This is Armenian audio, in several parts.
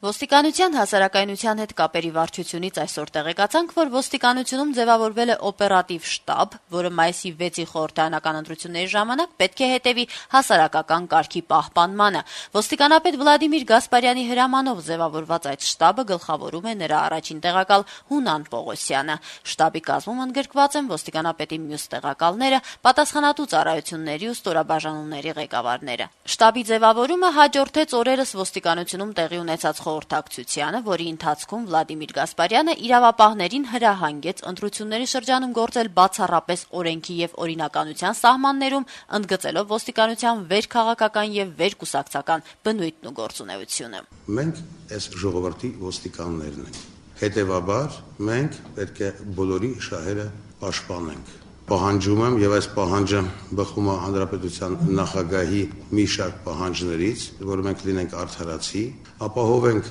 Ոստիկանության հասարակայնության հետ կապերի վարչությունից այսօր տեղեկացանք, որ ոստիկանությունում ձևավորվել է օպերատիվ շտաբ, որը մայիսի 6-ի խորհրդարանական ընտրությունների ժամանակ պետք է հետևի հասարակական կարգի պահպանմանը։ Ոստիկանապետ Վլադիմիր Գասպարյանի հրամանով ձևավորված այդ շտաբը գլխավորում է նրա առաջին տեղակալ Հունան Պողոսյանը։ Շտաբի կազմում ընդգրկված են ոստիկանապետի մյուս տեղակալները, պատասխանատու ծառայությունների ու ստորաբաժանումների ղեկավարները։ Շտաբի ձևավորումը հաջորդեց օրերս ոստիկանությունում տեղի ունեցած խորհրդակցությանը, որի ընթացքում Վլադիմիր Գասպարյանը իրավապահներին հրահանգեց ընտրությունների շրջանում գործել բացառապես օրենքի եւ օրինականության սահմաններում, ընդգծելով ոստիկանության վերքաղաքական եւ վերկուսակցական բնույթն ու գործունեությունը։ Մենք այս ժողովրդի ոստիկաններն ենք։ Հետևաբար մենք պետք է բոլորի շահերը պաշտպանենք։ Պահանջում եմ եւ այս պահանջը բխում է հանրապետության նախագահի մի շարք պահանջներից, որ մենք լինենք արդարացի, ապահովենք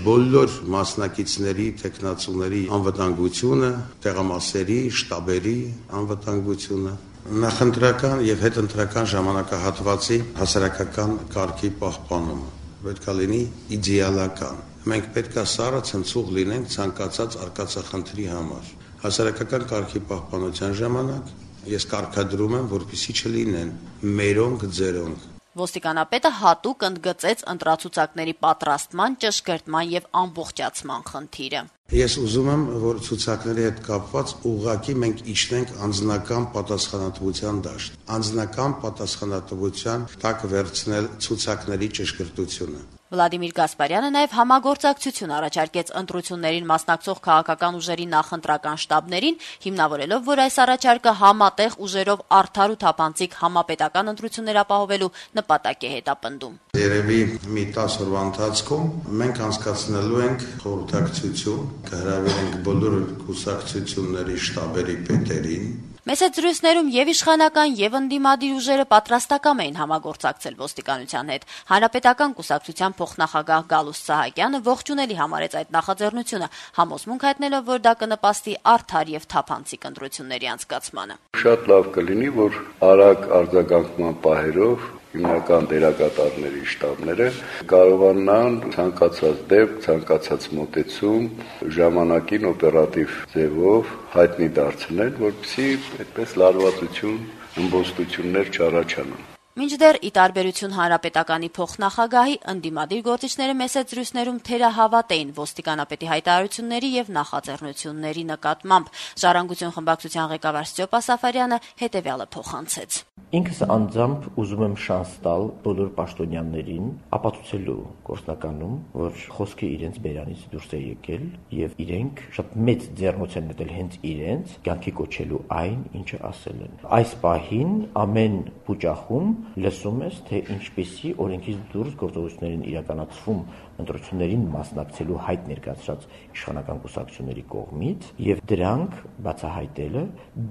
բոլոր մասնակիցների, տեխնացուների անվտանգությունը, տեղամասերի, շտաբերի անվտանգությունը, նախընտրական եւ հետընտրական ժամանակահատվածի հասարակական կարգի պահպանումը պետք է լինի իդեալական։ Մենք պետք է սառը ցնցուղ լինենք ցանկացած արկածախնդրի համար։ Հասարակական կարգի պահպանության ժամանակ ես կարգադրում եմ, որպեսզի չլինեն մերոնք ձերոնք։ Ոստիկանապետը հատուկ ընդգծեց ընտրացուցակների պատրաստման, ճշգրտման եւ ամբողջացման խնդիրը։ Ես ուզում եմ, որ ցուցակների հետ կապված ուղղակի մենք իջնենք անձնական պատասխանատվության դաշտ։ Անձնական պատասխանատվության տակ վերցնել ցուցակների ճշգրտությունը։ Վլադիմիր Գասպարյանը նաև համագործակցություն առաջարկեց ընտրություններին մասնակցող քաղաքական ուժերի նախընտրական շտաբներին, հիմնավորելով, որ այս առաջարկը համատեղ ուժերով արդար ու թափանցիկ համապետական ընտրություններ ապահովելու նպատակ է հետապնդում։ Երևի մի 10 օրվա ընթացքում մենք անցկացնելու ենք խորհրդակցություն, կհրավիրենք բոլոր կուսակցությունների շտաբերի պետերին։ Մեծ զրույցներում եւ իշխանական եւ ընդդիմադիր ուժերը պատրաստակամ էին համագործակցել ոստիկանության հետ։ Հանրապետական կուսակցության փոխնախագահ Գալուստ Սահակյանը ողջունելի համարեց այդ նախաձեռնությունը, համոզմունք հայտնելով, որ դա կնպաստի արդար եւ թափանցիկ ընտրությունների անցկացմանը։ Շատ լավ կլինի, որ արագ արձագանքման պահերով հիմնական դերակատարների շտաբները կարողանան ցանկացած դեպք, ցանկացած մոտեցում ժամանակին օպերատիվ ձևով հայտնի դարձնել, որպեսզի այդպես լարվածություն, ըմբոստություններ չառաջանան։ Մինչդեռ ի տարբերություն հանրապետականի փոխնախագահի ընդդիմադիր գործիչները մեծ զրույցներում թերահավատ էին ոստիկանապետի հայտարարությունների եւ նախաձեռնությունների նկատմամբ։ Ժառանգություն խմբակցության ղեկավար Ստյոպա Սաֆարյանը հետեւյալը փոխանցեց։ Ինքս անձամբ ուզում եմ շանս տալ բոլոր պաշտոնյաներին ապացուցելու գործնականում, որ խոսքը իրենց բերանից դուրս է եկել եւ իրենք շատ մեծ ձեռնոց են մտել հենց իրենց կյանքի կոչելու այն, ինչը ասել են։ Այս պահին ամեն փուճախում լսում ես, թե ինչպեսի օրենքից դուրս գործողություններ են իրականացվում ընտրություններին մասնակցելու հայտ ներկայացրած իշխանական կուսակցությունների կողմից եւ դրանք բացահայտելը,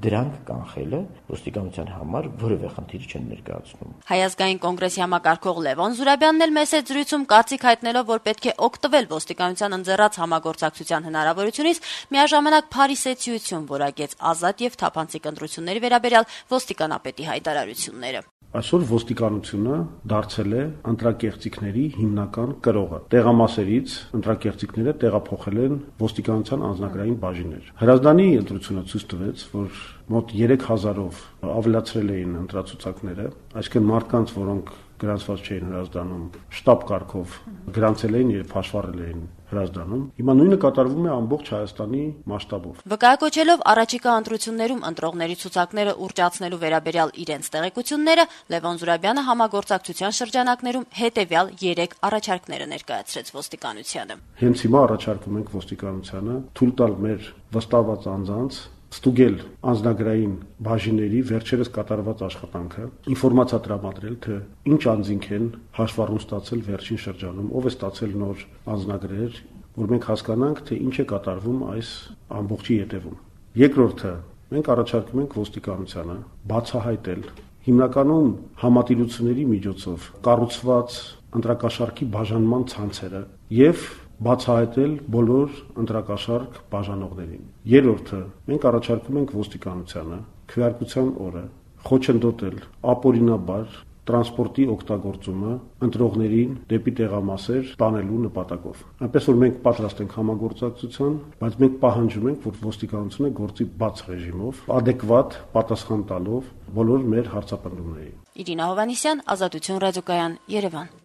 դրանք կանխելը ոստիկանության համար որևէ խնդիր չեն ներկայացնում։ Հայ ազգային կոնգրեսի համակարգող Լևոն Զուրաբյանն էլ մեծ զրույցում կարծիք հայտնելով, որ պետք է օգտվել ոստիկանության ընձեռած համագործակցության հնարավորությունից, միաժամանակ փարիսեցիություն որակեց ազատ եւ թափանցիկ ընտրությունների վերաբերյալ ոստիկանապետի հայտարարությունները։ Այսօր ոստիկանությունը դարձել է ընտրակեղծիքների հիմնական կրողը։ Տեղամասերից ընտրակեղծիքները տեղափոխել են ոստիկանության անձնագրային բաժիններ։ Հրազդանի ընտրությունը ցույց տվեց, որ մոտ 3000-ով ավելացրել էին ընտրացուցակները, այսինքն մարդկանց, որոնք գրանցված չէին հրազդանում, շտաբ կարգով գրանցել էին եւ հաշվառել էին հրազդանում։ Հիմա նույնը կատարվում է ամբողջ Հայաստանի մասշտաբով։ Վկայակոչելով առաջիկա ընտրություններում ընտրողների ցուցակները ուռճացնելու վերաբերյալ իրենց տեղեկությունները, Լևոն Զուրաբյանը համագործակցության շրջանակներում հետեւյալ 3 առաջարկները ներկայացրեց ոստիկանությանը։ Հենց հիմա առաջարկում ենք ոստիկանությանը թույլ տալ մեր վստահված անձանց ստուգել անձնագրային բաժինների վերջերս կատարված աշխատանքը, ինֆորմացիա տրամադրել, թե ինչ անձինք են հաշվառում ստացել վերջին շրջանում, ով է ստացել նոր անձնագրեր, որ մենք հասկանանք, թե ինչ է կատարվում այս ամբողջի ետևում։ Երկրորդը, մենք առաջարկում ենք ոստիկանությանը բացահայտել հիմնականում համատիրությունների միջոցով կառուցված ընտրակաշառքի բաժանման ցանցերը եւ բացահայտել բոլոր ընտրակաշառք բաժանողներին։ Երրորդը, մենք առաջարկում ենք ոստիկանությանը քվեարկության օրը խոչընդոտել ապօրինաբար տրանսպորտի օգտագործումը ընտրողներին դեպի տեղամասեր տանելու նպատակով։ Այնպես որ մենք պատրաստ ենք համագործակցության, բայց մենք պահանջում ենք, որ ոստիկանությունը գործի բաց ռեժիմով, adekvat պատասխան տալով բոլոր մեր հարցապնդումներին։ Իրինա Հովհաննիսյան, Ազատություն ռադիոկայան, Երևան։